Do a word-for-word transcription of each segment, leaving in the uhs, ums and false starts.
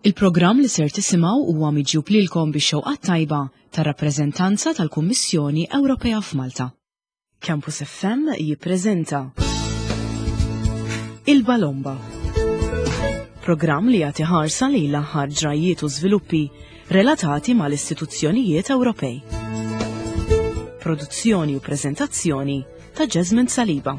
Il-programm li ser tisimgħu huwa miġjub lilkom bix-xewqa tajba tar-rappreżentanza tal-Kummissjoni Ewropea f'Malta. Campus F M jippreżenta Il-Balomba. Programm li jagħti ħarsa lejn l-aħħar ġrajiet u żviluppi relatati mal-istituzzjonijiet Ewropej. Produzzjoni u preżentazzjoni ta' Jasmine Saliba.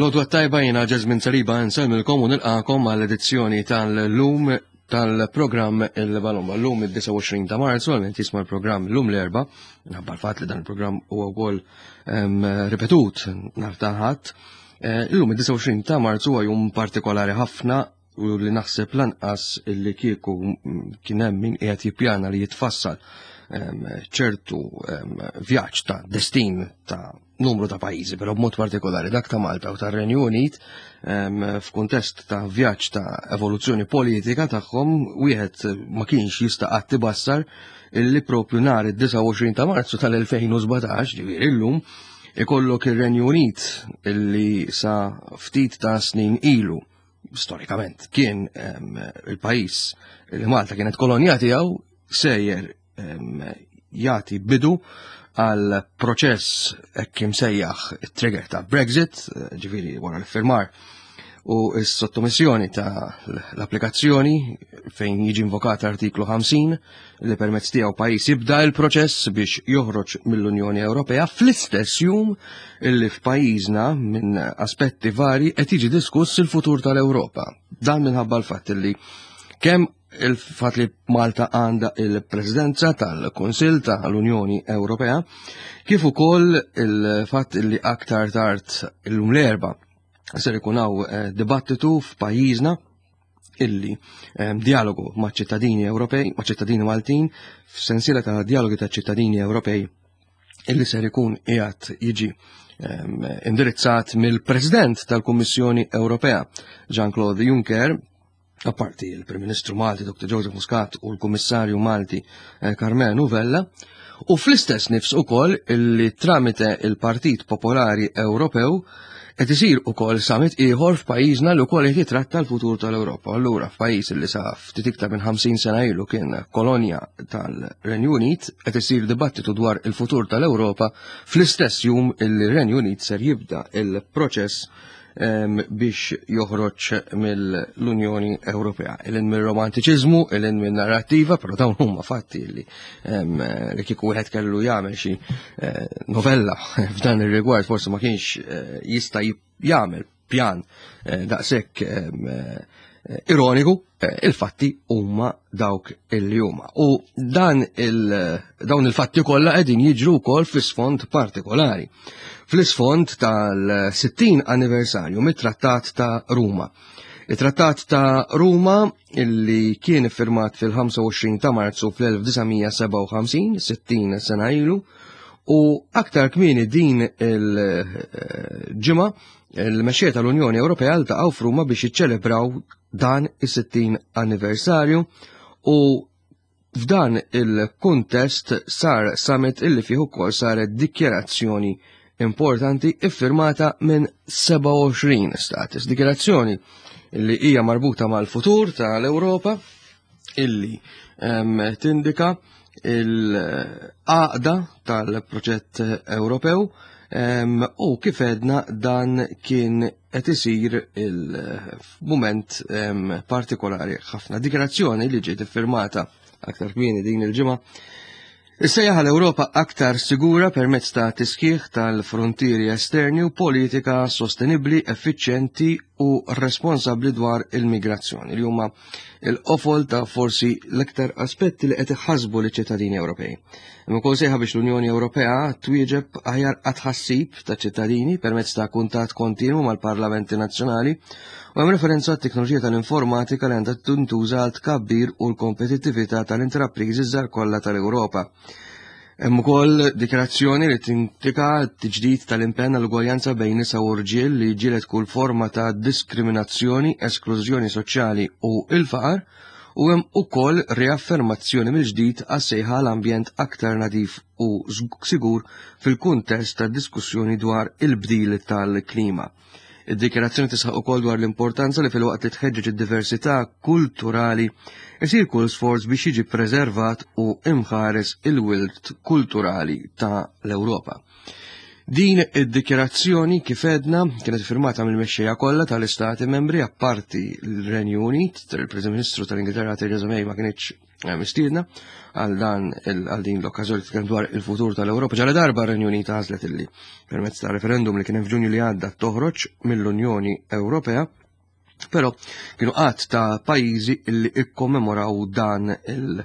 L-għodwa t-tajba, jiena Jasmine Saliba, nsellmilkom u nilqagħkom għall-edizzjoni tal-lum tal-programm Il-Balomba. L-lum id-disgħa u għoxrin ta' Marzu, għal min jisma' l-programm l-lum l-Erbgħa, minħabba l-fat li dan il-programm huwa wkoll ripetut nhar ta' Ħadd. Eh, Illum id-disgħa u għoxrin ta' Marzu huwa jum partikolari ħafna u li naħseb lanqas li kieku kien hemm min qiegħed jippjana li jitfassal ċertu vjaġġ ta' destin ta' numru ta' pajjiżi, però b'mod partikolari dak ta' Malta u tar-Renju Unit, f'kuntest ta' vjaġġ ta' evoluzzjoni politika tagħhom, wieħed ma kienx jista' qatt ibassar illi propju nhar id-disgħa u għoxrin ta' Marzu tal-elfejn u sbatax, ġifieri illum, ikollok ir-Renju Unit illi sa ftit ta' snin ilu storikament kien il-pajjiż li Malta kienet kolonja tiegħu sejjer jagħti bidu għal proċess hekk imsejjaħ trigger ta' Brexit, ġifieri wara l-firmar u s-sottomissjoni ta' l-applikazzjoni fejn jiġi invokat artiklu ħamsin li permezz tiegħu pajjiż jibda l-proċess biex joħroġ mill-Unjoni Ewropea, fl-istess jum illi f'pajjiżna minn aspetti vari qed jiġi diskuss il-futur tal-Ewropa. Dan minħabba l-fatt li kemm il-fat li Malta għandha il-Presidenza tal-Kunsill tal-Unjoni Ewropea, kif ukoll il-fatt li aktar tard illum l-Erbgħa ser ikun hawn eh, dibattitu f'pajjiżna illi eh, dialogu ma' ċittadini Ewropej, ma' ċittadini Maltin, f'sensiela ta' dialogi ta' ċittadini Ewropej illi ser ikun qiegħed jiġi eh, indirizzat mill-President tal-Kummissjoni Ewropea, Jean-Claude Juncker, apparti il-Prim Ministru Malti Doktor Joseph Muscat u l-Kummissarju Malti eh, Karmenu Vella, u fl-istess nifs ukoll illi tramite il-Partit Popolari Ewropew qed isir ukoll summit ieħor f'pajjiżna li wkoll qed jitratta l-futur tal-Ewropa. Allura f'pajjiż li sa ftit iktar minn ħamsin sena ilu kien kolonja tal-Renju Unit qed isir dibattitu dwar il-futur tal-Ewropa fl-istess jum illi r-Renju Unit ser jibda il-proċess biex joħroġ mill-Unjoni Ewropea. Lil hinn mill-romantiċiżmu, lil hinn minn narrativa, però dawn huma fatti li li kieku wieħed kellu jagħmel xi eh, novella f'dan ir-rigward forsi ma kienx eh, jista' jagħmel pjan eh, daqshekk ironiku, il-fatti huma dawk illi huma. U dan il, dawn il-fatti kollha qegħdin jiġru wkoll fi sfond partikolari. Fl-isfond tal-sittin anniversarju mit-Trattat ta' Ruma. Il-Trattat ta' Ruma illi kien iffirmat fil-ħamsa u għoxrin ta' Marzu fl-elf disa' mija sebgħa u ħamsin, sittin sena ilu, u aktar kmieni din il-ġimgħa il-mexxejja tal-Unjoni Ewropea ltaqgħu f'Ruma biex jiċċelebraw dan is-sittin anniversarju u f'dan il-kuntest sar summit illi fih ukoll saret dikjerazzjoni importanti iffirmata minn sebgħa u għoxrin status. Dikjerazzjoni illi hija marbuta mal-futur tal-Ewropa, illi um, tindika il-għaqda tal-proġett Ewropew um, u kif edna dan kien qed isir il-mument um, partikolari ħafna. Dikjerazzjoni li ġiet iffirmata aktar kmieni din il-ġimgħa issejjaħ l-Ewropa aktar sigura permezz ta' tisħiħ tal-frontieri esterni u politika sostenibli, effiċjenti u responsabli dwar il-migrazzjoni, li huma il-qofol ta' forsi l-iktar aspetti li qed iħasbu liċ-ċittadini Ewropej. Imma ukoll sejħa biex l-Unjoni Ewropea twieġeb aħjar għat-tħassib ta' ċittadini permezz ta' kuntatt kontinwu mal-parlamenti nazzjonali, u hemm referenza għat-teknoloġija tal-informatika li għandha tintuża għal tkabbir u l-kompetittività tal-intrapriżi żgħar kollha tal-Ewropa. Hemm ukoll dikjarazzjoni li tindika t-tiġdid tal-impenn għall-ugwaljanza bejn nisa u rġiel, li ġilet kull forma ta' diskriminazzjoni, esklużjoni soċjali u il-faqar. u hemm ukoll riaffermazzjoni mill-ġdid għas-sejħa l-ambjent aktar nadif u sigur fil-kuntest ta' diskussjoni dwar il-bdil tal-klima. Id-dikjarazzjoni tisħaq ukoll dwar l-importanza li filwaqt li tħeġġeġ id-diversità kulturali isir kull sforz biex jiġi preservat u imħares il-wirt kulturali ta' l-Ewropa. Din id-dikjarazzjoni, kif edna, kienet firmata mill-mexxejja kollha tal-Istati Membri apparti l-Renju Unit. Il-Prim Ministru tal-Ingilterra Theresa May ma kienx eh, mistiedna għal dan għal din l-okkażjoni tkellem dwar il-futur tal-Ewropa. Ġala darba r-Renju Unit għażlet illi permezz ta' referendum li kien hemm f'Ġunju li għadda toħroġ mill-Unjoni Ewropea, però kienu għadd ta' pajjiżi illi ikkommemoraw dan il-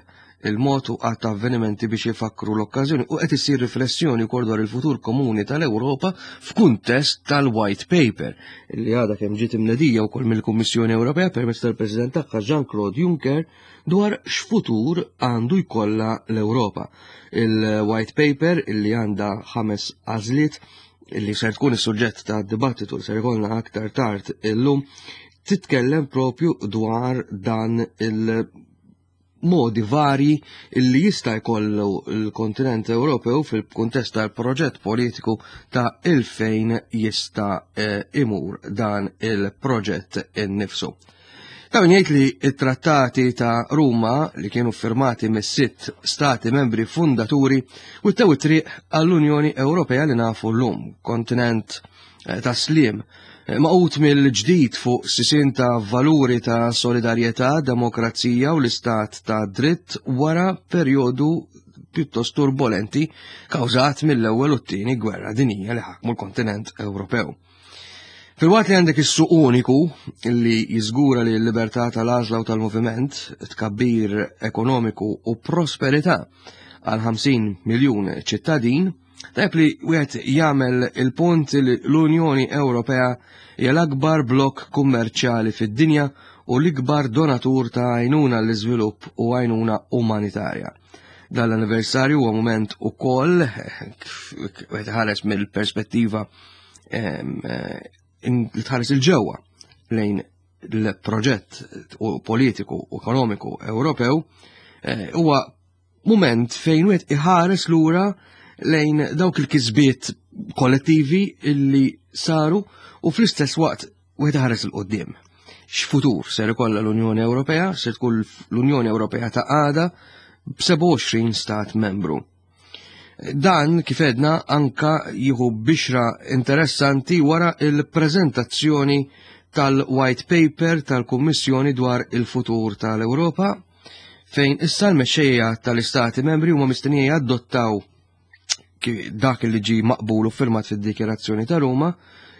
il-mod u għadd ta' avvenimenti biex jifakru l-okkażjoni, u qed issir riflessjoni wkoll dwar il-futur komuni tal-Ewropa f'kuntest tal-White Paper li għadha kemm ġiet imnedija wkoll mill-Kummissjoni Ewropea permezz tal-President tagħha Jean-Claude Juncker dwar x'futur għandu jkollha l-Ewropa. Il-White Paper, illi għandha ħames għażliet illi ser tkun is-suġġett ta' dibattitu li ser ikollna aktar tard illum, titkellem propju dwar dan il- modi vari illi jista' jkollu l-kontinent Ewropew fil-kuntest tal-proġett politiku ta' il-fejn jista' eh, imur dan il-proġett innifsu. Ta' min jgħid li it-trattati ta' Ruma, li kienu firmati mis-sitt stati membri fundaturi, wittew it-triq għall-Unjoni Ewropea li nafu llum, kontinent eh, ta' sliem, magħqud mill-ġdid fuq sisien ta' valuri ta' solidarjetà, demokrazija u l-istat ta' dritt wara perjodu pjuttost turbolenti kawżat mill-ewwel u t-tieni gwerra dinjija li ħakmu l-kontinent Ewropew. Filwaqt li għandek is-suq uniku li jiżgura li l-libertà tal-għażla u tal-moviment, tkabbir ekonomiku u prosperità għal ħamsin miljun ċittadin, tajb li wieħed jagħmel il-punt li l-Unjoni Ewropea hija l-akbar blokk kummerċjali fid-dinja u l-ikbar donatur ta' għajnuna l-iżvilupp u għajnuna umanitarja. Dan l-anniversarju huwa moment ukoll wieħed ħares mill-perspettiva li tħares il-ġewwa lejn l-proġett politiku u ekonomiku Ewropew, eh, huwa moment fejn wieħed iħares lura lejn dawk il-kisbiet kollettivi illi saru u fl-istess waqt wieħed iħares 'il quddiem. X'futur ser ikollha l-Unjoni Ewropea, ser tkun l-Unjoni Ewropea ta' għada b'sebgħa u għoxrin stat membru? Dan, kif edna, anka jieħu bixra interessanti wara il-prezentazzjoni tal-White Paper tal-Kummissjoni dwar il-futur tal-Ewropa, fejn issa l-mexxejja tal-istati membri huma mistennija jadottaw dak li ġi maqbul u firmat fid-Dikjarazzjoni ta' Ruma,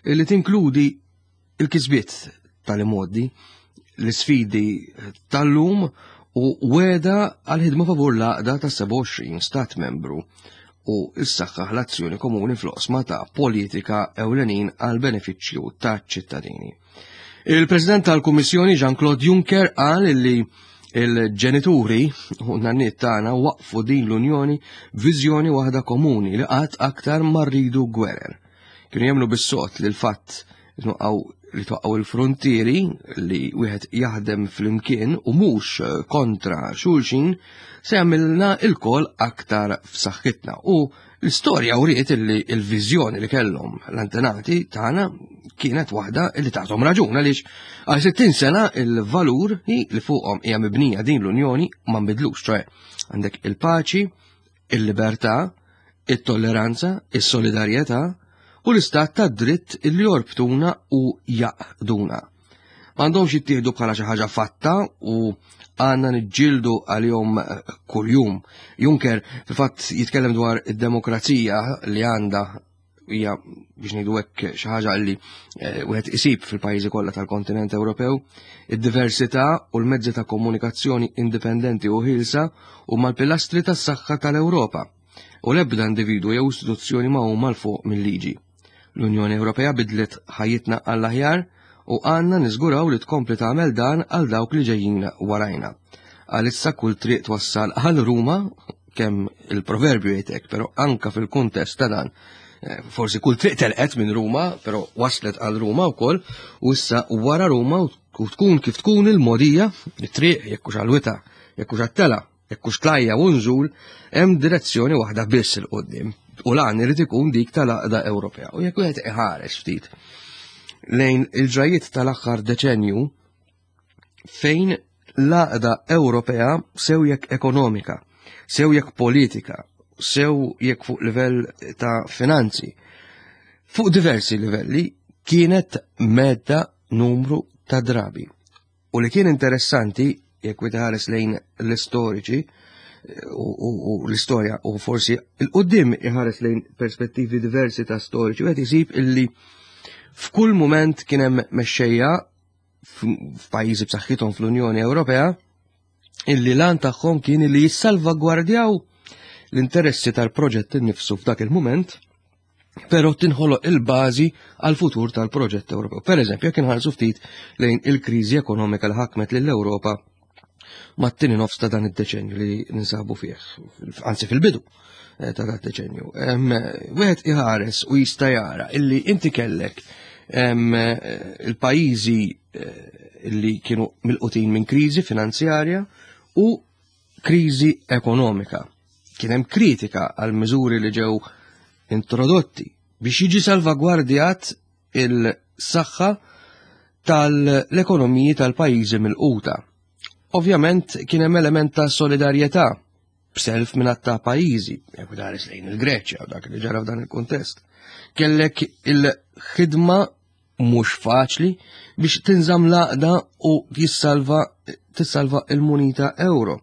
li tinkludi il-kisbiet tal-imgħoddi, l-sfidi tal-lum u wegħda għal-ħidma favur l-għaqda ta' sebgħa u għoxrin stat membru u s-saħħaħ l-azzjoni komuni fl-oqsma ta' politika ewlenin għal benefiċċju ta' ċittadini. Il-President tal-Kummissjoni Jean-Claude Juncker qal li il-ġenituri u nanniet tagħna waqfu din l-Unjoni viżjoni waħda komuni li qatt aktar ma rridu gwerer. Kienu jemmnu bis-sod li l-fatt li twaqqgħu il-frontieri, li wieħed jaħdem flimkien u mhux kontra xulxin, se jagħmilna lkoll aktar f'saħħitna. U l-istorja wriet li l-viżjoni li kellhom l-antenati tagħna kienet waħda li tagħhom raġun, għaliex għal sittin sena il-valur li fuqhom hija mibnija din l-Unjoni ma nbidlux, ċoè għandek il-paċi, il-libertà, it-tolleranza, is-solidarjetà u l-istat ta' dritt li jorbtuna u jgħaqqduna. M'għandhomx jittieħdu bħala xi ħaġa fatta u għandna niġġieldu għalihom kuljum. Juncker fil-fatt jitkellem dwar id-demokrazija li għandha hija, biex ngħidu hekk, xi ħaġa li eh, wieħed isib fil-pajjiżi kollha tal-kontinent Ewropew, id-diversità u l-mezzi ta' komunikazzjoni indipendenti u ħielsa huma l-pilastri tas-saħħa tal-Ewropa u l-ebda individu jew istituzzjoni ma huma 'l fuq mill-liġi. L-Unjoni Ewropea bidlet ħajjitna għall-aħjar u għandna niżguraw li tkompli tagħmel dan għal dawk li ġejjin warajna. Għalissa kull triq twassal għal Ruma, kemm il-proverbju jgħidek, però anka fil-kuntest ta' dan Forsi kull triq telqet minn Ruma, però waslet għal Ruma wkoll, u issa wara Ruma u tkun kif tkun il-modija, it-triq jekk hux għal-wita, jekk hux għat-tela, jekk hux tlajja u nżul, hemm direzzjoni waħda biss 'il quddiem. U lan irid ikun dik tal-għaqda Ewropea. U jekk wieħed iħares ftit lejn il-ġrajiet tal-aħħar deċenju fejn l-għaqda Ewropea sew jekk ekonomika, sew jekk politika, sew jekk fuq livell ta' finanzi, fuq diversi livelli kienet mhedda numru ta' drabi. U li kien interessanti, jekk wieħed iħares lejn l-istoriċi u, u, u l-istorja u forsi 'il quddiem iħares lejn perspettivi diversi ta' storiċi, wieħed isib illi f'kull moment kien hemm mexxejja f'pajjiżi b'saħħithom fl-Unjoni Ewropea illi lan tagħhom kien li jissalvagwardjaw l-interessi tal-proġett innifsu f'dak il-moment, però tinħoloq il-bażi għal futur tal-proġett Ewropew. Per eżempju, jekk inħarsu ftit lejn il-kriżi ekonomika li ħakmet lill-Ewropa mat-tieni nofs ta' dan id-deċenju li ninsabu fih, anzi fil-bidu eh, ta' dan id-deċenju. Wieħed iħares u jista' jara illi inti kellek il-pajjiżi eh, illi kienu milqutin minn kriżi finanzjarja u kriżi ekonomika. Kien hemm kritika għal miżuri li ġew introdotti biex jiġi salvagwardjat il-saħħa tal-ekonomiji tal-pajjiżi milquta. Ovvjament kien hemm element ta' solidarjetà b'self minn ta' pajjiżi, jekk tħares lejn il-Greċja u dak li ġara f'dan il-kuntest. Kellek il-ħidma mhux faċli biex tinżamm l-għaqda u jissalva tissalva il-munita euro.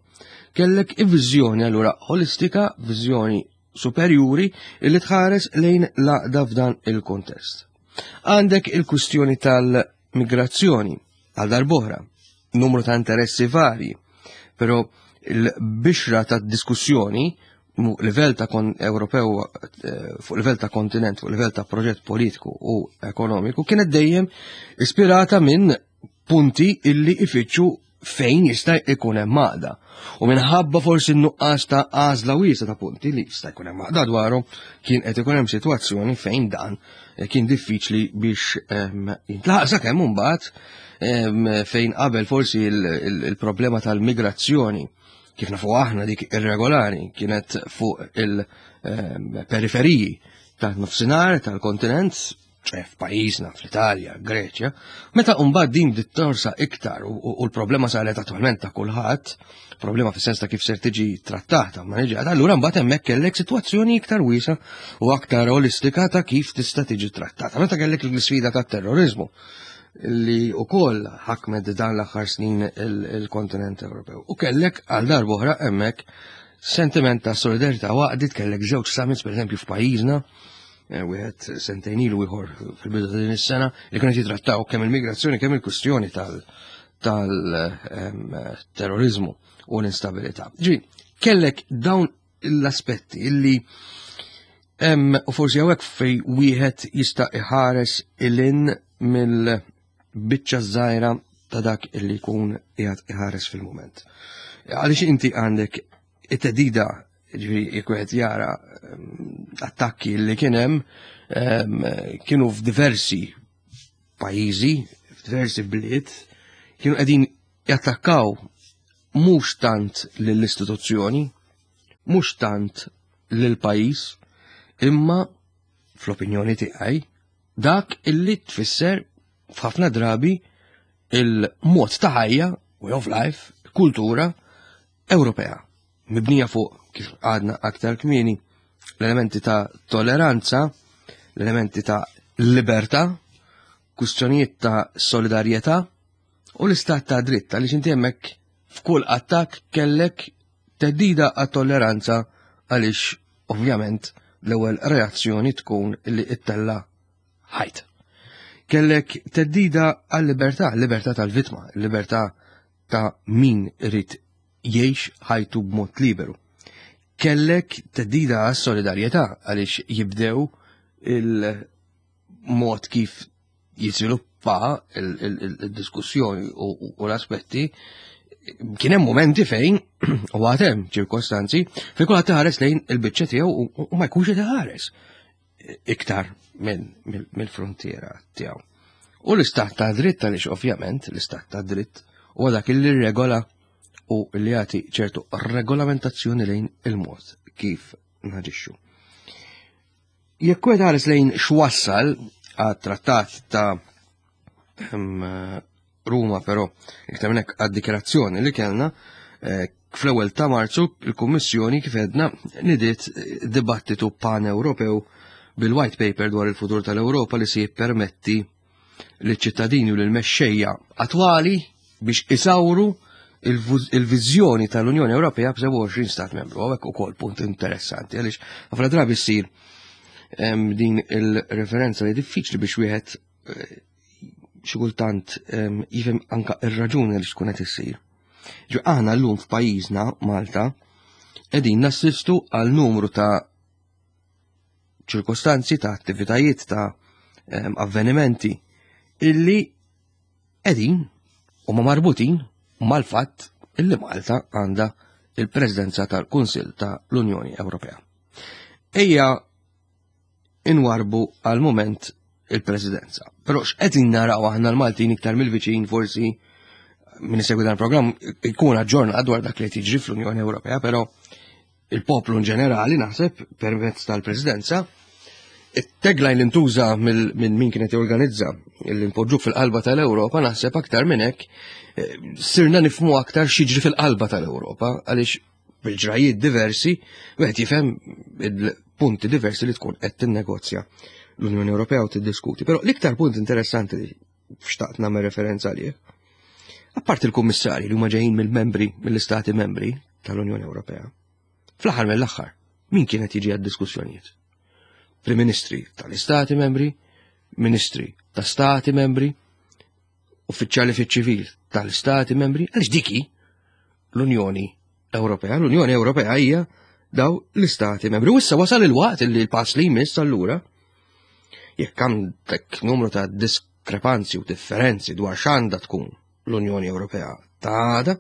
Kellek viżjoni allura holistika, viżjoni superjuri illi tħares lejn l-għaqda f'dan il-kontest. Għandek il-kwistjoni tal-migrazzjoni għal darb'oħra, numru ta' interessi varji, però il-bixra ta' diskussjoni livell ta' kon Ewropew, eh, fuq livell ta' kontinent, fuq livell ta' proġett politiku u ekonomiku kienet dejjem ispirata minn punti illi ifittxu fejn jista' jkun hemm għaqda. U minħabba forsi n-nuqqas ta' għażla wiesa ta' punti li jista' jkun hemm għaqda dwarhom, kien qed ikun hemm sitwazzjoni fejn dan eh, kien diffiċli biex jintlaħaq sakemm imbagħad fejn qabel forsi il-problema tal-migrazzjoni, kif nafu aħna dik irregolari, kienet fuq il-periferiji ta' nofsinhar tal-kontinent, ċe f'pajjiżna, fl-Italja, Greċja, meta mbagħad din bdiet torsa iktar u l-problema saret attualment ta' kulħadd, problema fis-sens ta' kif ser tiġi trattata, ma niġi, allura mbagħad hemmhekk kellek sitwazzjoni iktar wiesa u aktar olistika ta' kif tista' tiġi trattata. Meta kellek l-isfida tat-terrorizmu li ukoll ħakmet dan l-aħħar snin il-kontinent Ewropew. U kellek għal darb'oħra hemmhekk sentiment ta' solidarità waqdit, kellek żewġ summits, pereżempju, f'pajjiżna, eh, wieħed sentejn ilu, ieħor fil-bidu ta' din is-sena, li kienu jitrattaw kemm il-migrazzjoni kemm il-kwistjoni tal-terrorizmu u l-instabilità. Ġi, kellek dawn l-aspetti illi hemm u forsi hawnhekk fej wieħed jista' iħares 'l hinn mill-biċċa żgħira ta' dak illi jkun qiegħed iħares fil-mument. Għaliex inti għandek it-theddida, ġifieri jekk wieħed jara attakki li kien hemm, kienu f'diversi pajjiżi, f'diversi bliet, kienu qegħdin jattakkaw mhux tant lill-istituzzjoni, mhux tant lill-pajjiż, imma fl-opinjoni tiegħi dak illi tfisser f'ħafna drabi il-mod ta' ħajja, way of life, kultura Ewropea, mibnija fuq, kif għadna aktar kmieni, l-elementi ta' toleranza, l-elementi ta' libertà, kwistjonijiet ta' solidarjetà u l-istat ta' dritt, għaliex inti hemmhekk f'kull attakk kellek theddida għat-tolleranza, għaliex ovvjament l-ewwel reazzjoni tkun li ittella ħajt. Kellek theddida għal-libertà, libertà tal-vittma, libertà ta' min irid jgħix ħajtu b'mod liberu. Kellek theddida għas-solidarjetà għaliex jibdew il-mod kif jiżviluppa il-diskussjoni u l-aspetti. Kien hemm momenti fejn u għad hemm ċirkostanzi fejn kulħadd iħares lejn il-biċċa tiegħu u ma jkunx qed iħares. iktar mill-frontiera tiegħu. U l-istat ta' dritt, għaliex ovvjament l-istat ta' dritt huwa dak li regola u li jagħti ċertu regolamentazzjoni lejn il-mod kif naġixxu. Jekk wieħed ħares lejn x'wassal għat-trattat ta' Ruma, però iktar minn hekk għad-dikjarazzjoni li kellna eh, fl-ewwel ta' Marzu, il-Kummissjoni, kif għedna, nidiet dibattitu pan-Ewropew bil-White Paper dwar il-futur tal-Ewropa li se jippermetti liċ-ċittadini u lill-mexxejja attwali biex isawru il-viżjoni tal-Unjoni Ewropea b'sebgħa u għoxrin stat membru. Hawnhekk ukoll punt interessanti, għaliex ħafna drabi ssir din il-referenza li diffiċli biex wieħed eh, xi kultant jifhem anka ir-raġuni li xkun qed issir. Ġo aħna llum f'pajjiżna Malta qegħdin nassistu għal numru ta' ċirkostanzi, ta' attivitajiet, ta' avvenimenti illi qegħdin huma marbutin mal-fatt illi Malta għandha il-Presidenza tal-Kunsill ta' l-Unjoni Ewropea. Ejja inwarbu għal moment il-Presidenza. Però x'qegħdin naraw aħna l-Maltin iktar mill-viċin? Forsi min isegwi dan il-programm ikun aġġornat dwar dak li tiġri fl-Unjoni Ewropea, però il-poplu in ġenerali, naħseb, permezz tal-Presidenza, it-tagline li ntuża minn min kienet jorganizza, li npoġġuk fil-qalba tal-Ewropa, naħseb aktar minn hekk eh, sirna nifhmu aktar x'jiġri fil-qalba tal-Ewropa, għaliex bil-ġrajiet diversi wieħed jifhem il-punti diversi li tkun qed tinnegozja l-Unjoni Ewropea u tiddiskuti. Però l-iktar punt interessanti li xtaqt nagħmel referenza għalih, apart il-kummissarji li huma ġejjin mill-membri, mill-istati membri tal-Unjoni Ewropea, fl-aħħar mill-aħħar, min kienet jiġi għad-diskussjonijiet? Prim Ministri tal-Istati membri, Ministri ta' Stati membri, uffiċjali fiċ-ċivil tal-Istati membri, għaliex dik hi l-Unjoni Ewropea. L-Unjoni Ewropea hija daw l-Istati membri. U issa wasal il-waqt li l-pass li jmiss allura, jekk għandek numru ta' diskrepanzi u differenzi dwar x'għandha tkun l-Unjoni Ewropea ta' għada,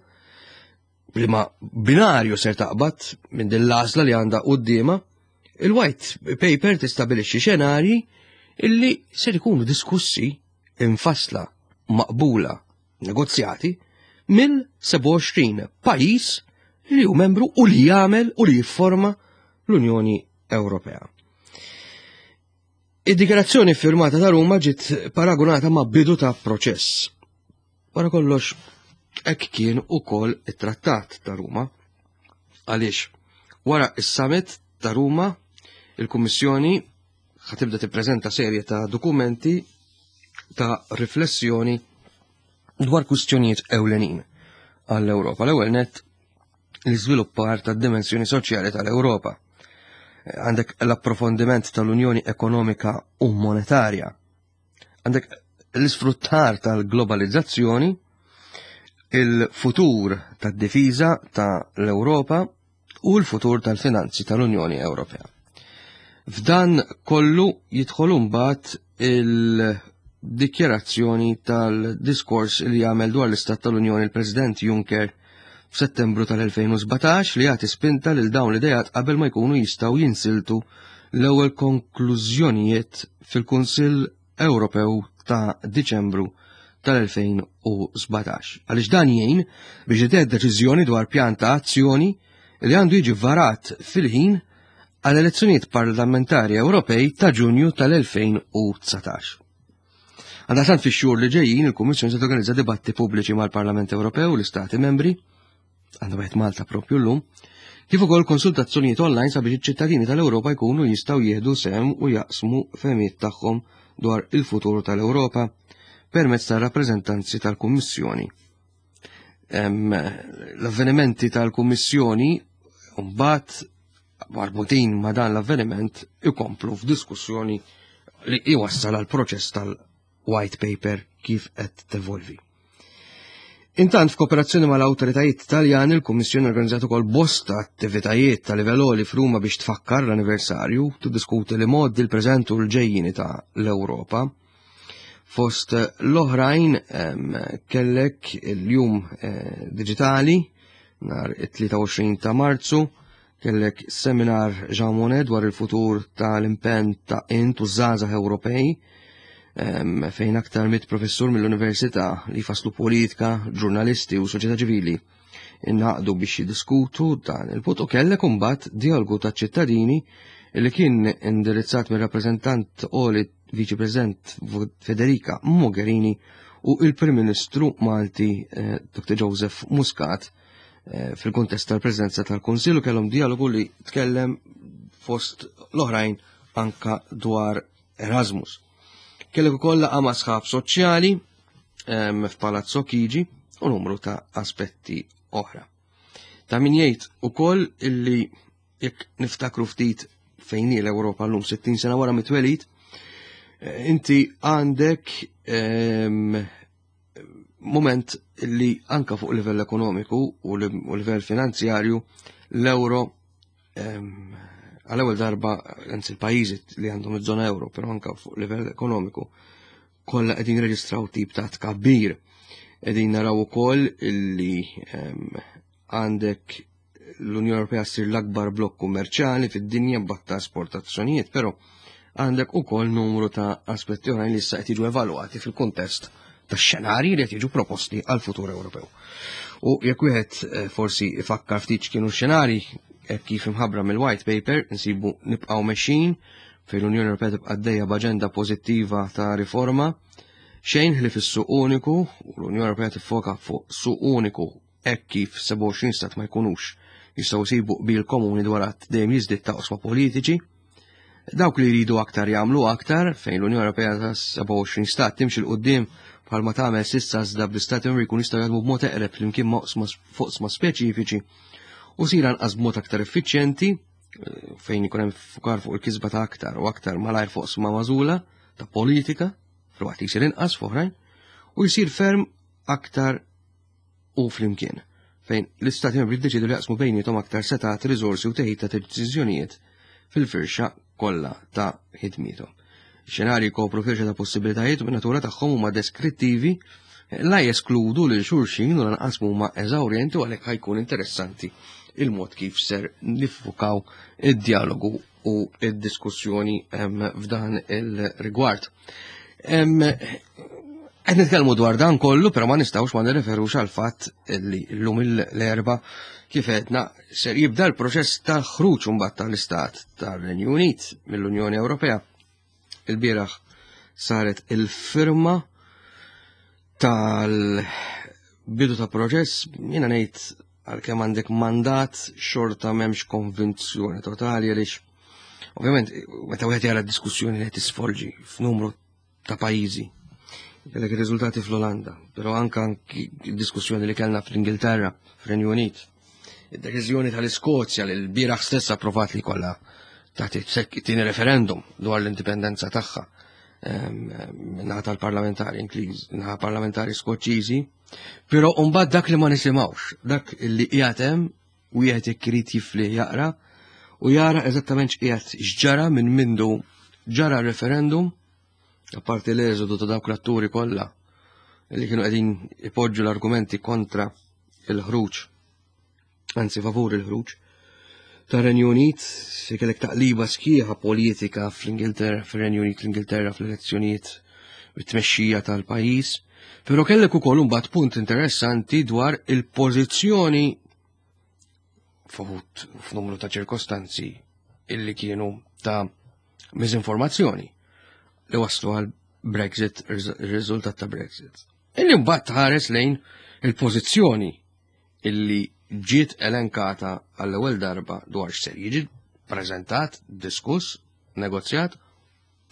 li ma binarju ser taqbad minn din l-għażla li għandha quddiemha, il-White Paper tistabilixxi xenarji illi ser ikunu diskussi, infasla, maqbula, negozjati mill-sebgħa u għoxrin pajjiż li hu membru u li jagħmel u li jifforma l-Unjoni Ewropea. Id-dikjarazzjoni firmata ta' Ruma ġiet paragunata ma' bidu ta' proċess. Wara kollox, hekk kien ukoll it-Trattat ta' Ruma. Għaliex wara is-summit ta' Ruma, il-Kummissjoni ħa tibda tippreżenta serje ta' dokumenti ta' riflessjoni dwar kwistjonijiet ewlenin għall-Ewropa. L-ewwel net, l-iżviluppar tad-dimensjoni soċjali tal-Ewropa. Għandek l-approfondiment tal-Unjoni Ekonomika u Monetarja. Għandek l-isfruttar tal-globalizzazzjoni, il-futur tad-difiża tal-Ewropa u l-futur tal-finanzi tal-Unjoni Ewropea. F'dan kollu jidħol mbagħad il-dikjarazzjoni tal-diskors li jagħmel dwar l-Istat tal-Unjoni il-President Juncker f'Settembru tal-elfejn u sbatax, li jagħti spinta lil dawn l-idejat qabel ma jkunu jistgħu jinsiltu l-ewwel konklużjonijiet fil-Kunsill Ewropew ta' Diċembru tal-elfejn u sbatax. Għaliex dan jgħin biex jitgħed deċiżjoni dwar pjan ta' azzjoni li għandu jiġi varat fil-ħin għal elezzjonijiet parlamentari Ewropej ta' Ġunju tal-elfejn u dsatax. Għaldaqstant, fix-xhur li ġejjin il-Kummissjoni se torganizza dibatti pubbliċi mal-Parlament Ewropew u l-Istati membri, għandha wieħed Malta propju llum, kif ukoll konsultazzjonijiet online sabiex iċ-ċittadini tal-Ewropa jkunu jistgħu jieħdu sehem u jaqsmu fehmiet tagħhom dwar il-futur tal-Ewropa permezz tal-rappreżentanzi tal-Kummissjoni. L-avvenimenti tal-Kummissjoni mbagħad marbutin ma' dan l-avveniment ikomplu f'diskussjoni li iwassal għal proċess tal-White Paper kif qed tevolvi. Intant, f'kooperazzjoni mal-awtoritajiet Taljani, il-Kummissjoni organizzat ukoll bosta attivitajiet ta' livell għoli f'Ruma biex tfakkar l-anniversarju, tiddiskuti l-imgħoddi, l-preżent u l-ġejjini ta' l-Ewropa. Fost l-oħrajn kellek il-jum eh, digitali nhar it-tlieta u għoxrin ta' Marzu, Kellek seminar Jean Monnet dwar il-futur tal-impenn ta' int u żgħażagħ Ewropej, fejn aktar mitt professur mill-università li faslu politika, ġurnalisti u soċjetà ċivili ingħaqdu biex jiddiskutu dan il-punt, u kellek imbagħad dialogu ta' ċittadini li kien indirizzat mir rappreżentant għoli Viċi President Federica Mogherini u il-Prim Ministru Malti eh, Doktor Joseph Muscat eh, fil-kontest tal-Presidenza tal-Kunsill, u kellhom dialogu li tkellem fost l-oħrajn anka dwar Erasmus. Kellek ukoll laqgħa ma' sħab soċjali f'Palazzo Chigi u numru ta' aspetti oħra. Ta' min jgħid ukoll illi jekk niftakru ftit fejn hi l-Ewropa llum sittin sena wara mit-twelid, inti għandek moment li anka fuq livell ekonomiku u livell finanzjarju l-euro għal-ewwel darba, anzi l-pajjiżi li għandhom iż-żona euro, però anka fuq livell ekonomiku kollha qegħdin reġistraw tip ta' tkabbir. Qegħdin naraw ukoll illi għandek l-Unjoni Ewropea ssir l-akbar blokk kummerċjali fid-dinja b'aktar esportazzjonijiet, però għandek ukoll numru ta' aspetti oħrajn li issa qed jiġu evalwati fil-kuntest ta' xenarji li qed jiġu proposti għal futur Ewropew. U jekk wieħed eh, forsi ifakkar ftit x'kienu x-xenarji hekk kif imħabbra mill-White Paper, nsibu nibqgħu mexjin fejn l-Unjoni Ewropea tibqa' għaddejja b'aġenda pożittiva ta' riforma, xejn li fis-suq uniku, u l-Unjoni Ewropea tiffoka fuq suq uniku hekk kif sebgħa u għoxrin stat ma jkunux jistgħu jsibu qbil komuni dwar għadd dejjem jiżdied ta' oqsma politiċi. Dawk li jridu aktar jagħmlu aktar, fejn l-Unjoni Ewropea ta' sebgħa u għoxrin stat timxi 'l quddiem bħalma tagħmel s'issa, iżda bl-istati membri jkun jistgħu jaħdmu b'mod eqreb flimkien ma' oqsma fuq oqsma speċifiċi u sir anqas b'mod aktar effiċjenti, fejn ikun hemm fukar fuq il-kisba ta' aktar u aktar malajr fuq oqsma magħżula ta' politika, filwaqt li jsir inqas f'oħrajn, u jsir ferm aktar u flimkien, fejn l-istati membri jiddeċidu li jaqsmu bejniethom aktar setat, riżorsi u teħid ta' deċiżjonijiet fil-firxa kollha ta' ħidmiethom. Xenarji kopru firxa ta' possibilitajiet u min-natura tagħhom huma deskrittivi, la jeskludu lil xulxin u lanqas huma eżawrjenti, u għalhekk ħajkun interessanti il-mod kif ser niffukaw id-dialogu u id-diskussjoni f'dan il-rigward. Qed nitkellmu dwar dan kollu, però ma nistgħux ma nirreferux għal fatt li llum l-Erbgħa kif għedna ser jibda l-proċess ta' ħruġ imbagħad tal-Istat tar-Renju Unit mill-Unjoni Ewropea. Il-bieraħ saret il-firma tal-bidu ta' proċess, jiena ngħid għalkemm għandek mandat xorta m'hemmx konvinzjoni totali, għaliex ovvjament meta wieħed jara diskussjoni li qed tisfolġi f'numru ta' pajjiżi, kellek ir-riżultati fl-Olanda, però anka diskussjoni li kellna fl-Ingilterra, fir-Renju Unit, id-deċiżjoni tal-Iskozja li l-bieraħ stess approvat li kollha tagħti tieni referendum dwar l-indipendenza tagħha minnaħa tal-parlamentari Ingliż, naħa parlamentari Skoċċiżi, però mbagħad dak li ma nisimgħux, dak li qiegħed hemm wieħed jekk irid jifli jaqra u jara eżattament x'qiegħed x'ġara minn mindu ġara referendum, apparti l-eżodu ta' dawk l-atturi kollha li kienu qegħdin ipoġġu l-argumenti kontra il-ħruġ, anzi favur il-ħruġ tar-Renju Unit, se kellek taqliba sħiħa politika fl-Ingilterra, fir-Renju Unit, l-Ingilterra fl-elezzjonijiet bit-tmexxija tal-pajjiż, però kellek ukoll imbagħad punt interessanti dwar il-pożizzjoni f'uħud f'numru ta' ċirkostanzi illi kienu ta' miżinformazzjoni li waslu għal Brexit, ir-riżultat ta' Brexit. Illi mbagħad tħares lejn il-pożizzjoni illi ġiet elenkata għall-ewwel darba dwar x'ser jiġi preżentat, diskuss, negozjat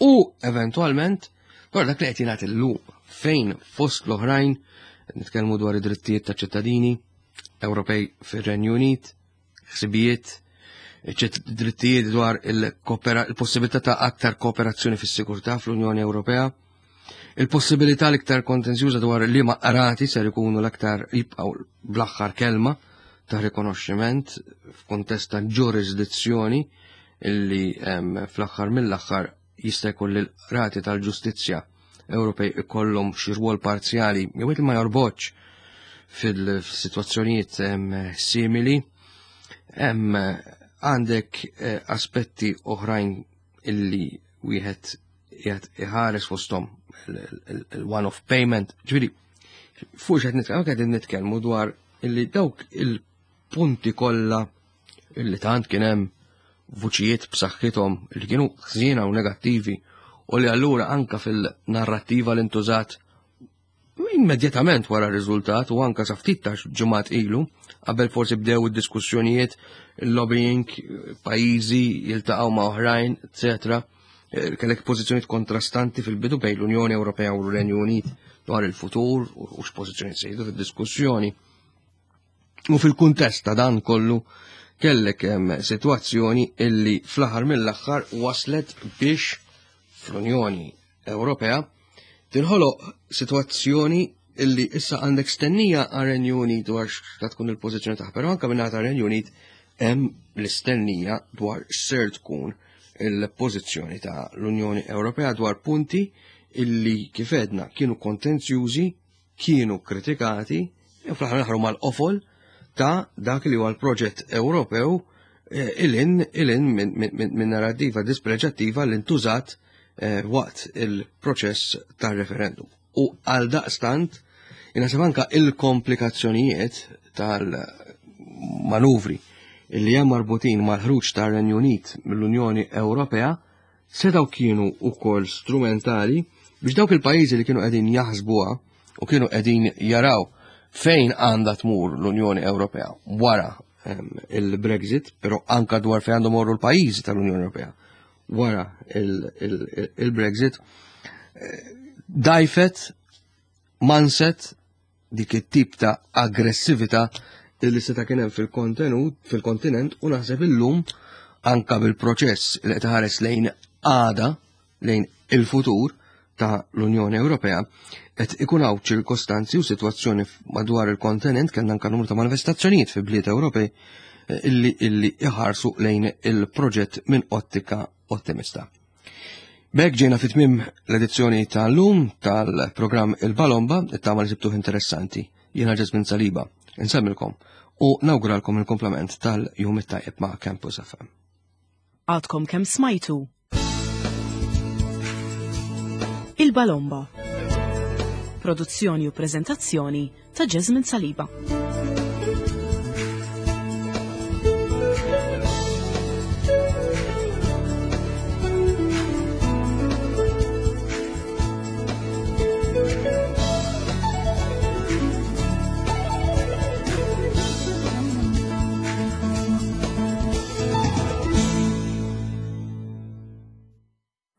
u eventwalment dwar dak li qed jingħad illum fejn fost l-oħrajn nitkellmu dwar id-drittijiet ta' ċittadini Ewropej fir-Renju Unit, ħsibijiet, drittijiet dwar il-possibilità ta' aktar kooperazzjoni fis-sigurtà fl-Unjoni Ewropea, il-possibilità l-iktar kontenzjuża dwar li ma qrati ser ikunu l-aktar jibqgħu bl-aħħar kelma ta' rikonoxximent f'kuntest ta' ġurisdizzjoni illi fl-aħħar mill-aħħar jista' jkun li l-qrati tal-ġustizzja Ewropej ikollhom xi rwol parzjali jew ma jorbotx fil-sitwazzjonijiet simili. Hemm Għandek eh, aspetti oħrajn illi wieħed qiegħed iħares fosthom il-one-off payment. Ġifieri, fuq x'qed nitkellmu, qegħdin nitkellmu dwar illi dawk il-punti kollha illi tant kien hemm vuċijiet b'saħħithom li kienu ħżiena u negattivi u li allura anka fil-narrattiva li ntużat immedjatament wara r-riżultat u anka sa ftit ta' ġimgħat ilu, qabel forsi bdew id-diskussjonijiet, il-lobbying, pajjiżi jiltaqgħu ma' oħrajn, eċetera. Kellek pożizzjonijiet kontrastanti fil-bidu bejn l-Unjoni Ewropea u l-Renju Unit dwar il-futur u x'pożizzjoni sejdu fid-diskussjoni. U fil-kuntest ta' dan kollu kellek hemm sitwazzjoni illi fl-aħħar mill-aħħar waslet biex fl-Unjoni Ewropea tinħoloq sitwazzjoni illi issa għandek stennija għar-Renju Unit dwar x'ta tkun il-pożizzjoni tagħha, però anke minn tar-Renju Unit hemm l-istennija dwar x'ser tkun il-pożizzjoni ta' l-Unjoni Ewropea dwar punti illi kif għedna kienu kontenzjużi, kienu kritikati, u fl-aħħar mill-aħħar huma l-qofol ta' dak li huwa l-proġett Ewropew eh, ilin ilin minn narrativa dispreġattiva li ntużat eh, waqt il-proċess tar-referendum. U għal daqstant, inaħseb anka il-komplikazzjonijiet tal-manuvri illi hemm marbutin mal-ħruġ tar-Renju Unit mill-Unjoni Ewropea setgħu kienu wkoll strumentali biex dawk il-pajjiżi li kienu qegħdin jaħsbuha u kienu qegħdin jaraw fejn għandha tmur l-Unjoni Ewropea wara il-Brexit, però anka dwar fejn għandhom morru l-pajjiżi tal-Unjoni Ewropea wara il-Brexit, dajfet, manset dik it-tip ta' aggressività illi seta' kien hemm fil-kontenut, fil-kontinent u naħseb illum anka bil-proċess li qed iħares lejn għada, lejn il-futur ta' l-Unjoni Ewropea, qed ikun hawn ċirkostanzi u sitwazzjoni madwar il-kontinent, kellna anka numru ta' manifestazzjonijiet fi bliet Ewropej illi illi iħarsu lejn il-proġett minn ottika ottimista. B'hekk ġejna fi tmiem l-edizzjoni tal-lum tal-programm Il-Balomba, it-tama li sibtuh interessanti. Jiena Ġesmin Saliba, insemmilkom u nawguralkom il-komplement tal-jum it-tajjeb ma' Campus F M. Għadkom kemm smajtu Il-Balomba. Produzzjoni u prezentazzjoni ta' Jesmond Saliba.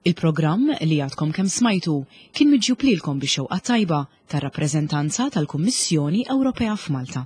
Il-programm li għadkom kemm smajtu kien miġjub lilkom bix-xewqa tajba tar-rappreżentanza tal-Kummissjoni Ewropea f'Malta.